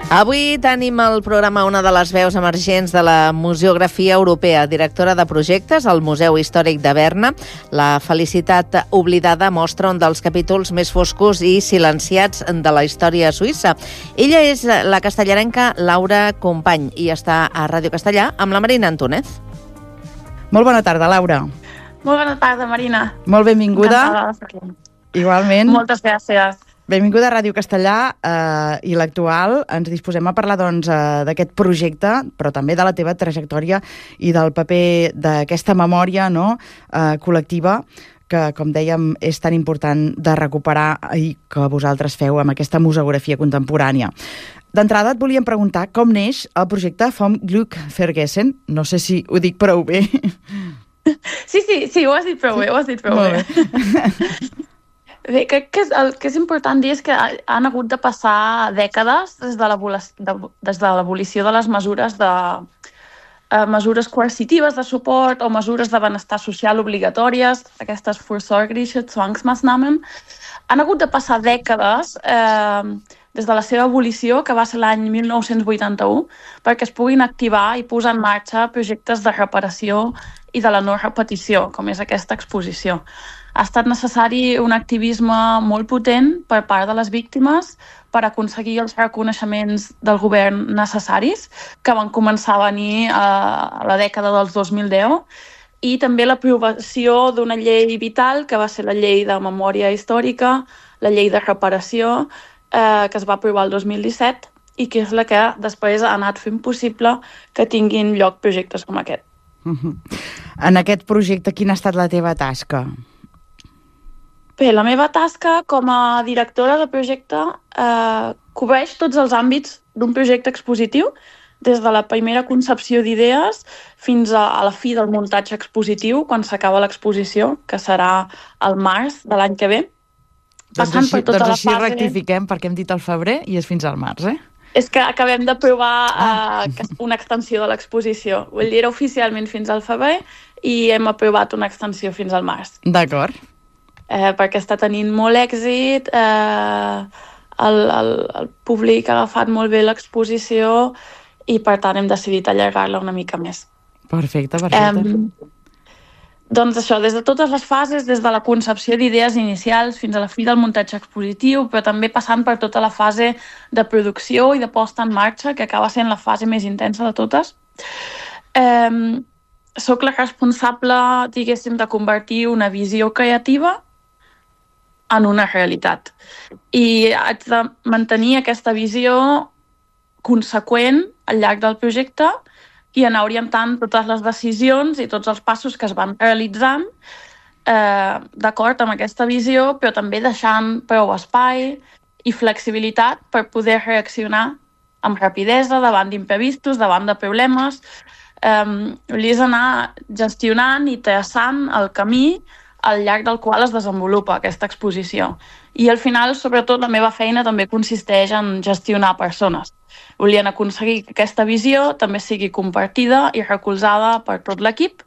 Avui tenim al programa una de les veus emergents de la museografia europea, directora de projectes al Museu Històric de Berna. La Felicitat oblidada mostra un dels capítols més foscos i silenciats de la història suïssa. Ella és la castellarenca Laura Company i està a Ràdio Castellà amb la Marina Antúnez. Molt bona tarda, Laura. Molt bona tarda, Marina. Molt benvinguda. Encantada. Igualment. Moltes gràcies. Benvinguda a Ràdio Castellà i l'Actual. Ens disposem a parlar d'aquest projecte, però també de la teva trajectòria i del paper d'aquesta memòria col·lectiva que, com dèiem, és tan important de recuperar i que vosaltres feu amb aquesta museografia contemporània. D'entrada et volíem preguntar com neix el projecte Vom Glück vergessen. No sé si ho dic prou bé. Sí, ho has dit prou bé, bé. Bé, crec que el que és important dir és que han hagut de passar dècades des de l'abolició de les mesures mesures coercitives de suport o mesures de benestar social obligatòries, aquestes vorsorgliche Zwangsmaßnahmen. Han hagut de passar dècades des de la seva abolició, que va ser l'any 1981, perquè es puguin activar i posar en marxa projectes de reparació i de la no repetició, com és aquesta exposició. Ha estat necessari un activisme molt potent per part de les víctimes per aconseguir els reconeixements del govern necessaris, que van començar a venir a la dècada dels 2010, i també l'aprovació d'una llei vital, que va ser la llei de memòria històrica, la llei de reparació, que es va aprovar el 2017, i que és la que després ha anat fent possible que tinguin lloc projectes com aquest. En aquest projecte, quina ha estat la teva tasca? Bé, la meva tasca com a directora de projecte cobreix tots els àmbits d'un projecte expositiu, des de la primera concepció d'idees fins a la fi del muntatge expositiu, quan s'acaba l'exposició, que serà al març de l'any que ve. Doncs així rectifiquem, perquè hem dit al febrer i és fins al març, És que acabem d'aprovar una extensió de l'exposició. Vull dir, era oficialment fins al febrer i hem aprovat una extensió fins al març. D'acord. Perquè està tenint molt èxit, el públic ha agafat molt bé l'exposició i per tant hem decidit allargar-la una mica més. Perfecte. Doncs això, des de totes les fases, des de la concepció d'idees inicials fins a la fi del muntatge expositiu, però també passant per tota la fase de producció i de posta en marxa, que acaba sent la fase més intensa de totes. Soc la responsable, diguéssim, de convertir una visió creativa en una realitat. I haig de mantenir aquesta visió conseqüent al llarg del projecte i anar orientant totes les decisions i tots els passos que es van realitzant d'acord amb aquesta visió, però també deixant prou espai i flexibilitat per poder reaccionar amb rapidesa davant d'imprevistos, davant de problemes. És anar gestionant i traçant el camí al llarg del qual es desenvolupa aquesta exposició. I al final, sobretot, la meva feina també consisteix en gestionar persones. Volien aconseguir que aquesta visió també sigui compartida i recolzada per tot l'equip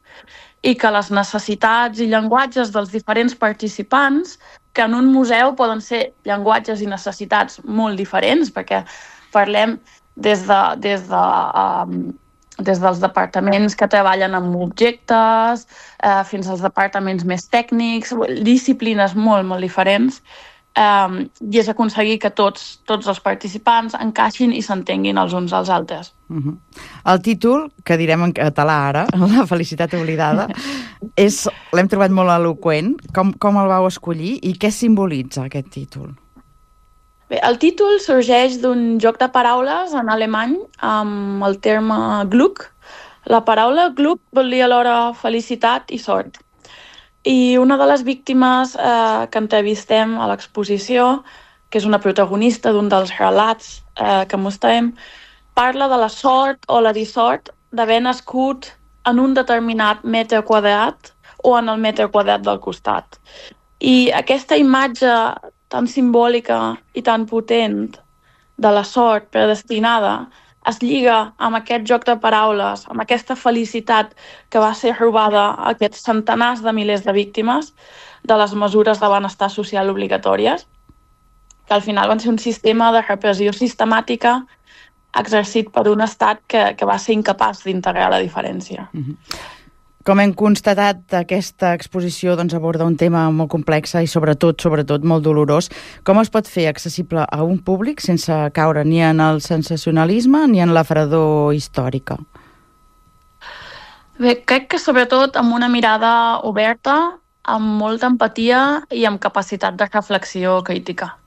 i que les necessitats i llenguatges dels diferents participants, que en un museu poden ser llenguatges i necessitats molt diferents, perquè parlem des dels departaments que treballen amb objectes fins als departaments més tècnics, disciplines molt, molt diferents, i és aconseguir que tots els participants encaixin i s'entenguin els uns als altres. El títol, que direm en català ara, La Felicitat oblidada, l'hem trobat molt eloqüent. Com el vau escollir i què simbolitza aquest títol? Bé, el títol sorgeix d'un joc de paraules en alemany amb el terme Glück. La paraula Glück vol dir alhora felicitat i sort. I una de les víctimes que entrevistem a l'exposició, que és una protagonista d'un dels relats que mostrem, parla de la sort o la dissort d'haver nascut en un determinat metre quadrat o en el metre quadrat del costat. I aquesta imatge tan simbòlica i tan potent de la sort predestinada es lliga amb aquest joc de paraules, amb aquesta felicitat que va ser robada a aquests centenars de milers de víctimes de les mesures de benestar social obligatòries, que al final van ser un sistema de repressió sistemàtica exercit per un estat que va ser incapaç d'integrar la diferència. Com hem constatat, aquesta exposició aborda un tema molt complex i sobretot molt dolorós. Com es pot fer accessible a un públic sense caure ni en el sensacionalisme ni en la fredor històrica? Bé, crec que sobretot amb una mirada oberta, amb molta empatia i amb capacitat de reflexió crítica.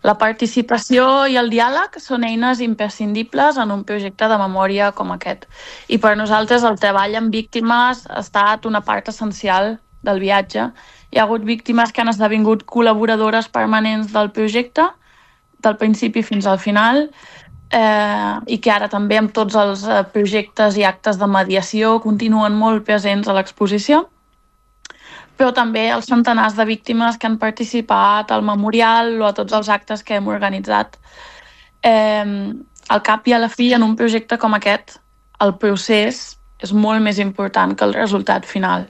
La participació i el diàleg són eines imprescindibles en un projecte de memòria com aquest. I per nosaltres el treball amb víctimes ha estat una part essencial del viatge. Hi ha hagut víctimes que han esdevingut col·laboradores permanents del projecte, del principi fins al final, i que ara també amb tots els projectes i actes de mediació continuen molt presents a l'exposició. Però també els centenars de víctimes que han participat al memorial o a tots els actes que hem organitzat. Al cap i a la fi, en un projecte com aquest, el procés és molt més important que el resultat final.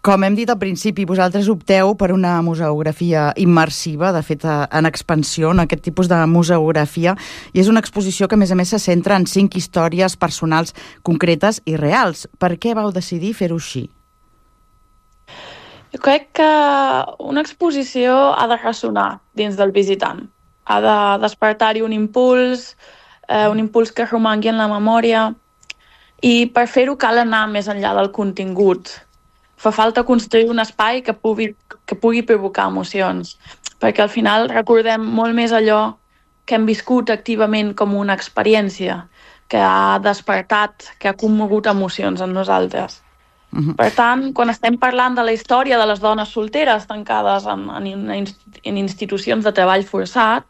Com hem dit al principi, vosaltres opteu per una museografia immersiva, de fet en expansió, en aquest tipus de museografia, i és una exposició que a més se centra en 5 històries personals concretes i reals. Per què vau decidir fer-ho així? Jo crec que una exposició ha de ressonar dins del visitant. Ha de despertar-hi un impuls que romangui en la memòria, i per fer-ho cal anar més enllà del contingut. Fa falta construir un espai que pugui provocar emocions, perquè al final recordem molt més allò que hem viscut activament com una experiència, que ha despertat, que ha commogut emocions en nosaltres. Per tant, quan estem parlant de la història de les dones solteres tancades en institucions de treball forçat,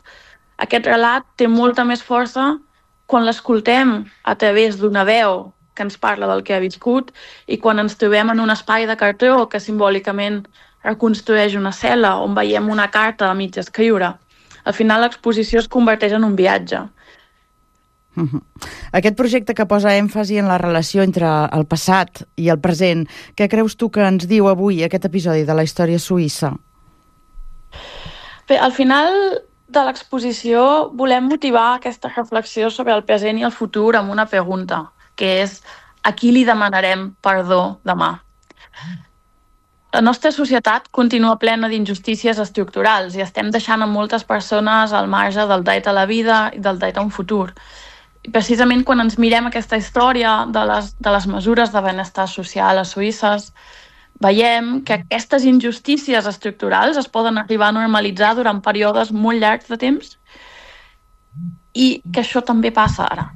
aquest relat té molta més força quan l'escoltem a través d'una veu que ens parla del que ha viscut i quan ens trobem en un espai de cartró que simbòlicament reconstrueix una cel·la on veiem una carta a mig escriure. Al final l'exposició es converteix en un viatge. Aquest projecte que posa èmfasi en la relació entre el passat i el present, què creus tu que ens diu avui aquest episodi de la història suïssa? Bé, al final de l'exposició volem motivar aquesta reflexió sobre el present i el futur amb una pregunta, que és: a qui li demanarem perdó demà? La nostra societat continua plena d'injustícies estructurals i estem deixant a moltes persones al marge del dret a la vida i del dret a un futur. I precisament quan ens mirem aquesta història de les mesures de benestar social a Suïsses, veiem que aquestes injustícies estructurals es poden arribar a normalitzar durant períodes molt llargs de temps i que això també passa ara.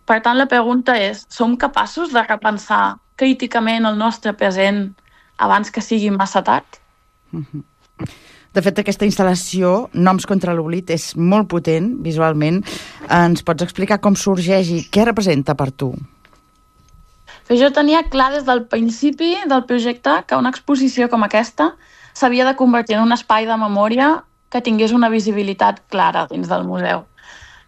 Per tant, la pregunta és: som capaços de repensar críticament el nostre present abans que sigui massa tard? De fet, aquesta instal·lació, Noms contra l'oblit, és molt potent visualment. Ens pots explicar com sorgeix i què representa per tu? Jo tenia clar des del principi del projecte que una exposició com aquesta s'havia de convertir en un espai de memòria que tingués una visibilitat clara dins del museu.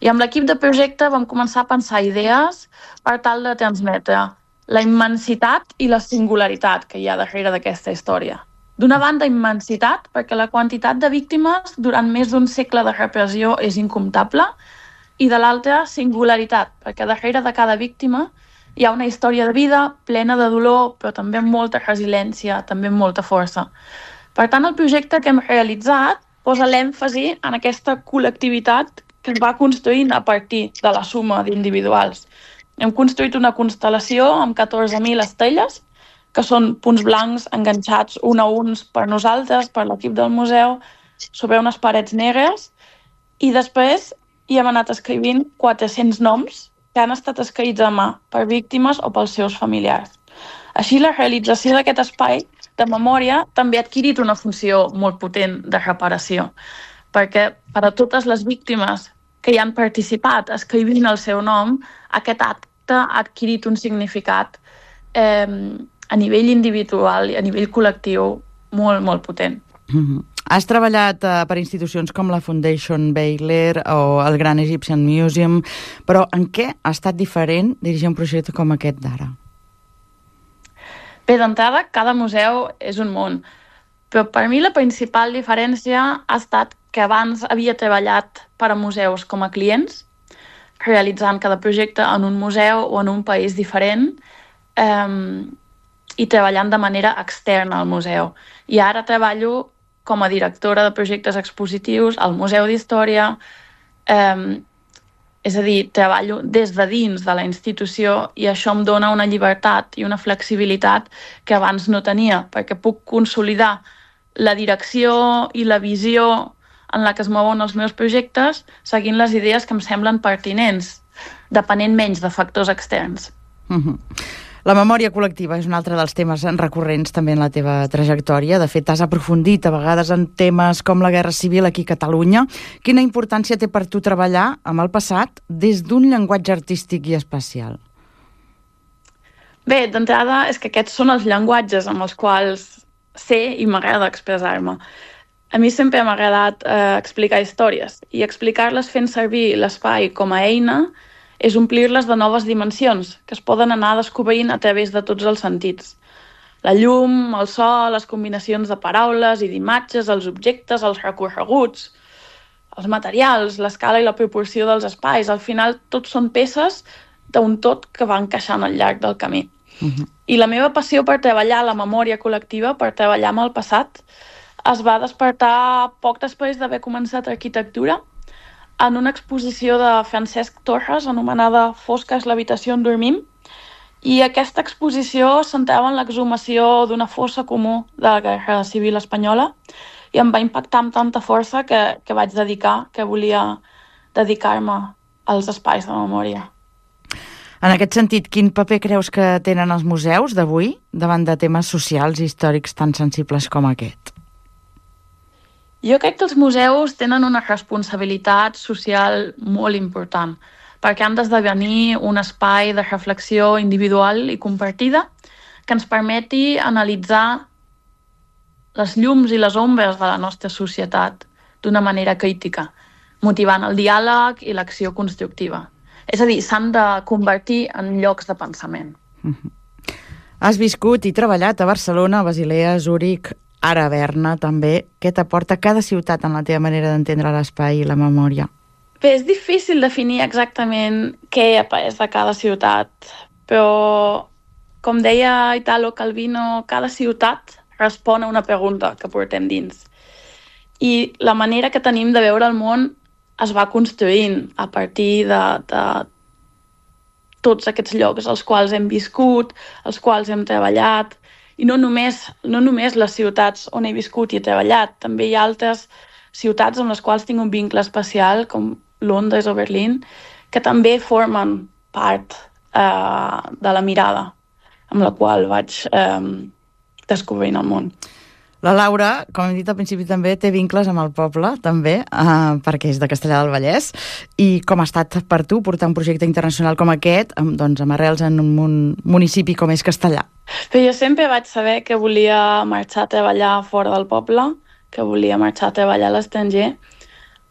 I amb l'equip de projecte vam començar a pensar idees per tal de transmetre la immensitat i la singularitat que hi ha darrere d'aquesta història. D'una banda, immensitat, perquè la quantitat de víctimes durant més d'un segle de repressió és incomptable, i de l'altra, singularitat, perquè darrere de cada víctima hi ha una història de vida plena de dolor, però també amb molta resiliència, també amb molta força. Per tant, el projecte que hem realitzat posa l'èmfasi en aquesta col·lectivitat que es va construint a partir de la suma d'individuals. Hem construït una constel·lació amb 14.000 estrelles, que són punts blancs enganxats un a uns per nosaltres, per l'equip del museu, sobre unes parets negres, i després hi hem anat escrivint 400 noms que han estat escrits a mà per víctimes o pels seus familiars. Així, la realització d'aquest espai de memòria també ha adquirit una funció molt potent de reparació, perquè per a totes les víctimes que hi han participat escrivint el seu nom, aquest acte ha adquirit un significat a nivell individual i a nivell col·lectiu molt, molt potent. Has treballat per institucions com la Foundation Baylor o el Grand Egyptian Museum, però en què ha estat diferent dirigir un projecte com aquest d'ara? Bé, d'entrada, cada museu és un món, però per mi la principal diferència ha estat que abans havia treballat per a museus com a clients, realitzant cada projecte en un museu o en un país diferent i treballant de manera externa al museu. I ara treballo com a directora de projectes expositius al Museu d'Història, és a dir, treballo des de dins de la institució i això em dona una llibertat i una flexibilitat que abans no tenia, perquè puc consolidar la direcció i la visió en la que es mouen els meus projectes seguint les idees que em semblen pertinents, depenent menys de factors externs. La memòria col·lectiva és un altre dels temes recurrents també en la teva trajectòria. De fet, has aprofundit a vegades en temes com la Guerra Civil aquí a Catalunya. Quina importància té per tu treballar amb el passat des d'un llenguatge artístic i espacial? Bé, d'entrada és que aquests són els llenguatges amb els quals sé i m'agrada expressar-me. A mi sempre m'ha agradat explicar històries i explicar-les fent servir l'espai com a eina és omplir-les de noves dimensions que es poden anar descobrint a través de tots els sentits. La llum, el so, les combinacions de paraules i d'imatges, els objectes, els recorreguts, els materials, l'escala i la proporció dels espais. Al final, tots són peces d'un tot que va encaixant al llarg del camí. I la meva passió per treballar la memòria col·lectiva, per treballar amb el passat, es va despertar poc després d'haver començat arquitectura en una exposició de Francesc Torres anomenada Fosca és l'habitació on dormim, i aquesta exposició centrava en l'exhumació d'una fossa comú de la Guerra Civil Espanyola i em va impactar amb tanta força que vaig que volia dedicar-me als espais de memòria. En aquest sentit, quin paper creus que tenen els museus d'avui davant de temes socials i històrics tan sensibles com aquest? Jo crec que els museus tenen una responsabilitat social molt important, perquè han d'esdevenir un espai de reflexió individual i compartida que ens permeti analitzar les llums i les ombres de la nostra societat d'una manera crítica, motivant el diàleg i l'acció constructiva. És a dir, s'han de convertir en llocs de pensament. Has viscut i treballat a Barcelona, Basilea, Zúrich, ara a Berna també. Què t'aporta cada ciutat en la teva manera d'entendre l'espai i la memòria? Bé, és difícil definir exactament què he après de cada ciutat, però, com deia Italo Calvino, cada ciutat respon a una pregunta que portem dins. I la manera que tenim de veure el món es va construint a partir de tots aquests llocs als quals hem viscut, als quals hem treballat. I no només les ciutats on he viscut i he treballat, també hi ha altres ciutats amb les quals tinc un vincle especial, com Londres o Berlín, que també formen part de la mirada amb la qual vaig descobrint el món. La Laura, com hem dit al principi, també té vincles amb el poble, també, perquè és de Castellar del Vallès. I com ha estat per tu portar un projecte internacional com aquest, doncs, amb arrels en un municipi com és Castellar? Però jo sempre vaig saber que volia marxar a treballar fora del poble, que volia marxar a treballar a l'estranger,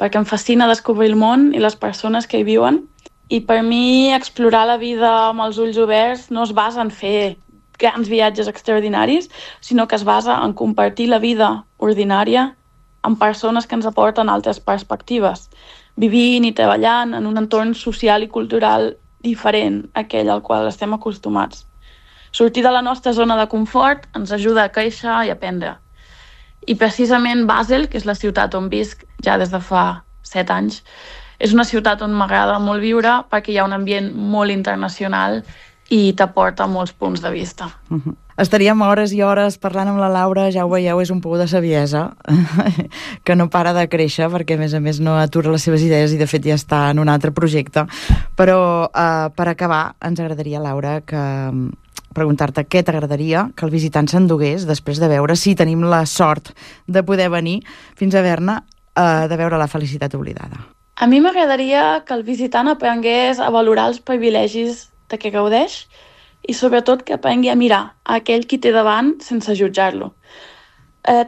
perquè em fascina descobrir el món i les persones que hi viuen. I per mi explorar la vida amb els ulls oberts no es basa en fer grans viatges extraordinaris, sinó que es basa en compartir la vida ordinària amb persones que ens aporten altres perspectives, vivint i treballant en un entorn social i cultural diferent a aquell al qual estem acostumats. Sortir de la nostra zona de confort ens ajuda a créixer i aprendre. I precisament Basel, que és la ciutat on visc ja des de fa 7 anys, és una ciutat on m'agrada molt viure perquè hi ha un ambient molt internacional i t'aporta molts punts de vista. Estaríem hores i hores parlant amb la Laura, ja ho veieu, és un pou de saviesa que no para de créixer perquè a més no atura les seves idees i de fet ja està en un altre projecte. Però per acabar ens agradaria, Laura, preguntar-te què t'agradaria que el visitant s'endugués després de veure, si tenim la sort de poder venir fins a Berna, de veure La felicitat oblidada. A mi m'agradaria que el visitant aprengués a valorar els privilegis de què gaudeix i sobretot que aprengui a mirar a aquell qui té davant sense jutjar-lo.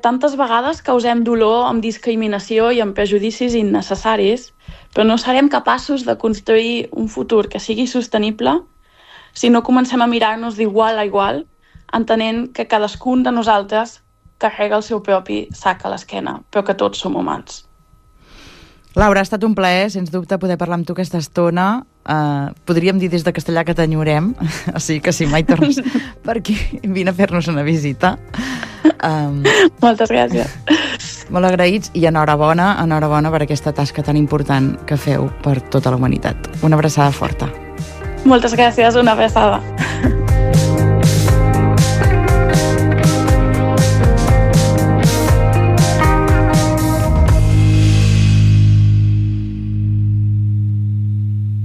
Tantes vegades causem dolor amb discriminació i amb prejudicis innecessaris, però no serem capaços de construir un futur que sigui sostenible si no comencem a mirar-nos d'igual a igual, entenent que cadascun de nosaltres carrega el seu propi sac a l'esquena, però que tots som humans. Laura, ha estat un plaer, sens dubte, poder parlar amb tu aquesta estona. Podríem dir des de Castellà que t'enyorem, o sigui que si mai tornes per aquí, vine a fer-nos una visita. Moltes gràcies. Molt agraïts i enhorabona per aquesta tasca tan important que feu per tota la humanitat. Una abraçada forta. Moltes gràcies, una abraçada.